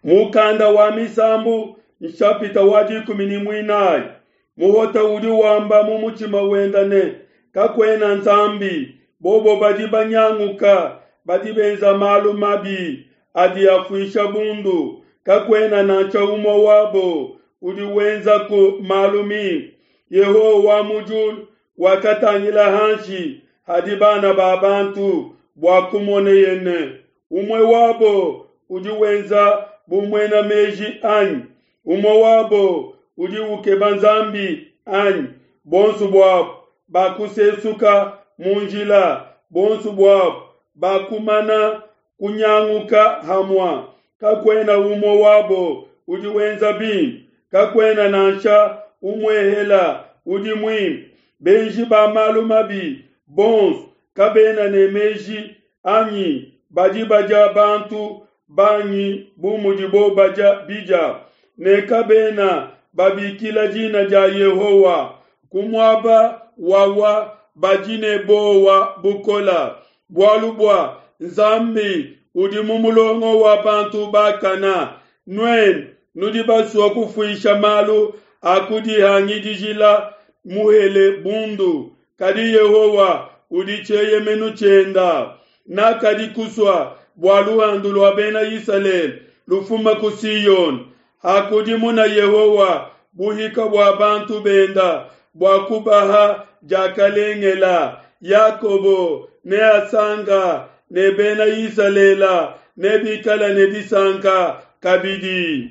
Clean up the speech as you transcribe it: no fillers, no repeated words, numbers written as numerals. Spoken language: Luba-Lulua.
Mukanda wa Misambu nshapita wa 14. Muhota udi wamba mu mutshima wenda ne, Kakuena Nzambi. Bobo badi banyanguka, badi benza malu mabi adi afuisha bundu. Kakuena nansha umue wabo udi wenzaku malu mimpe. Yehowa wa mu diulu wakatangila hanshi hadi bana ba bantu bua kumoneye ne, umue wabo udi wenza bu muena meji anyi? Umue wabo udi ukeba Nzambi anyi? Bonso buabo bakusesuka mu njila, bonso buabo bakumana kunyanguka hamua. Kakuena umue wabo udi wenza bimpe, kakuena nansha umuehela udi muimpe. Benji ba malu mabi bonso kabena ne meji anyi? Badi badia bantu bangi bu mudibo badia bidia, ne kabena babikila dina dia Yehowa. Ku muaba wawa badi ne bowa bukola, bualu bua Nzambi udi mu mulongo wa bantu bakana. Nuenu nudi basua kufuisha malu a kudihangidijila muhele bundu, kadi Yehowa udi tshieyemenu tshienda. Nakadi kusua bua luhandu lua Bena Isalele lufuma ku Siona. Hakudimuna Yehowa buhika bua bantu benda bua kubaha diakalengela, Yakobo neasanka ne Bena Isalele nebikale ne disanka kabidi.